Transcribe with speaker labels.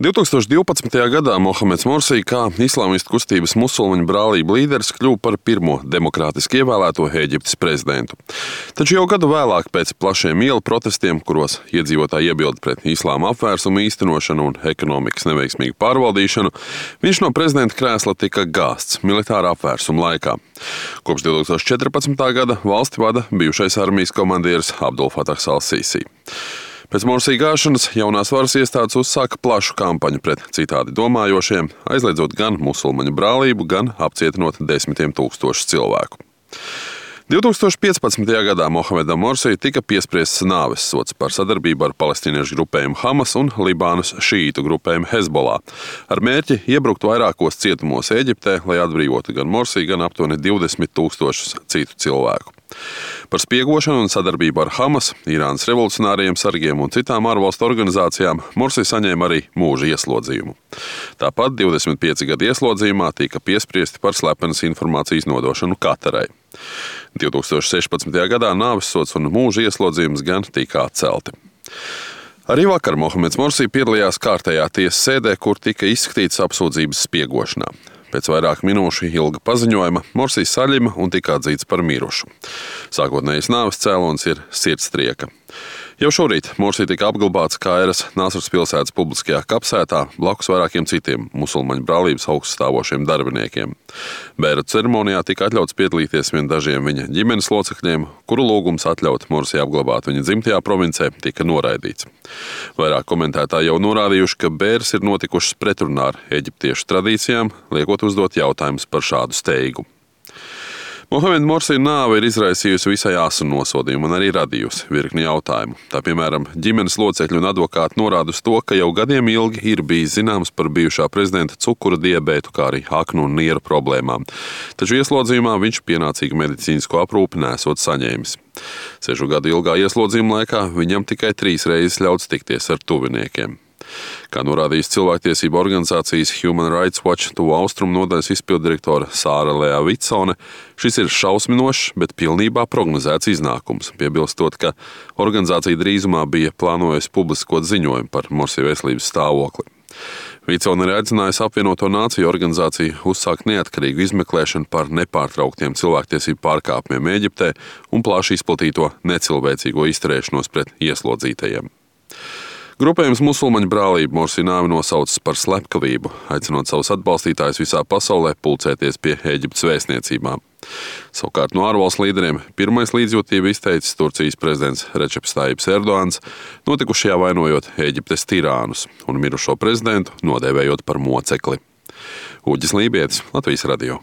Speaker 1: 2012. gadā Mohameds Morsi kā islāmistu kustības musulmaņu brālību līderis kļuva par pirmo demokrātiski ievēlēto Ēģiptes prezidentu. Taču jau gadu vēlāk pēc plašiem ielu protestiem, kuros iedzīvotāji iebilda pret islāma apvērsumu īstenošanu un ekonomikas neveiksmīgu pārvaldīšanu, viņš no prezidenta krēsla tika gāzts militāra apvērsuma laikā. Kopš 2014. gada valsti vada bijušais armijas komandieris Abdul Fatahs al-Sīsī. Pēc Morsi gāšanas jaunās varas iestādes uzsāka plašu kampaņu pret citādi domājošiem, aizliedzot gan musulmaņu brālību, gan apcietinot desmitiem tūkstošu cilvēku. 2015. gadā Mohamedam Morsi tika piespriests nāves sods par sadarbību ar palestīniešu grupējumu Hamas un Libānas šīītu grupējumu Hezbollah, ar mērķi iebrukt vairākos cietumos Ēģiptē, lai atbrīvotu gan Morsi, gan aptuveni 20 000 citu cilvēku. Par spiegošanu un sadarbību ar Hamas, Irānas revolucionāriem sargiem un citām ārvalstu organizācijām Morsi saņēma arī mūža ieslodzījumu. Tāpat 25 gadu ieslodzījumā tika piespriesti par slepenas informācijas nodošanu Katarai. 2016. gadā nāvessods un mūža ieslodzījums gan tika atcelti. Arī vakar Mohameds Morsi piedalījās kārtējā tiesas sēdē, kur tika izskatītas apsūdzības spiegošanā. Pēc vairāku minūšu ilga paziņojuma Morsi saļima un tika atzīts par mirušu. Sākotnējais nāves cēlonis ir sirdstrieka. Jau šorīt Morsi tika apglabāts Kairas Nasras pilsētas publiskajā kapsētā blakus vairākiem citiem musulmaņu brālības augststāvošiem darbiniekiem. Bēra ceremonijā tika atļauts piedalīties vien dažiem viņa ģimenes locekļiem, kuru lūgums atļaut Morsi apglabāt viņa dzimtajā provincē tika noraidīts. Vairāk komentētāji jau norādījuši, ka bēres ir notikušas pretrunā ar eģiptiešu tradīcijām, liekot uzdot jautājumus par šādu steigu. Mohameda Morsi nāve ir izraisījusi visai asu nosodījumu un arī radījusi virkni jautājumu. Tā, piemēram, ģimenes locekļi un advokāti norāda uz to, ka jau gadiem ilgi ir bijis zināms par bijušā prezidenta cukura diabētu, kā arī aknu un nieru problēmām. Taču ieslodzījumā viņš pienācīgu medicīnisko aprūpi nesot saņēmis. 6 gadu ilgā ieslodzījuma laikā viņam tikai 3 reizes ļauts tikties ar tuviniekiem. Kā norādījis cilvēktiesību organizācijas Human Rights Watch Tuvu Austrumu nodaļas izpilddirektore Sāra Lea Vitsone, šis ir šausminošs, bet pilnībā prognozēts iznākums, piebilstot, ka organizācija drīzumā bija plānojusi publiskot ziņojumu par Morsi veselības stāvokli. Vitsone ir aicinājusi apvienoto nāciju organizāciju uzsākt neatkarīgu izmeklēšanu par nepārtrauktiem cilvēktiesību pārkāpumiem Ēģiptē un plaši izplatīto necilvēcīgo izturēšanos pret ieslodzītajiem. Grupējums musulmaņu brālību Morsi nāvi nosaucis par slepkavību, aicinot savus atbalstītājus visā pasaulē pulcēties pie Ēģiptes vēstniecībām. Savukārt no ārvalstu līderiem pirmais līdzjūtību izteicis Turcijas prezidents Receps Tajjips Erdogans, notikušajā vainojot Ēģiptes tirānus un mirušo prezidentu nodēvējot par mocekli. Uģis Lībietis, Latvijas radio.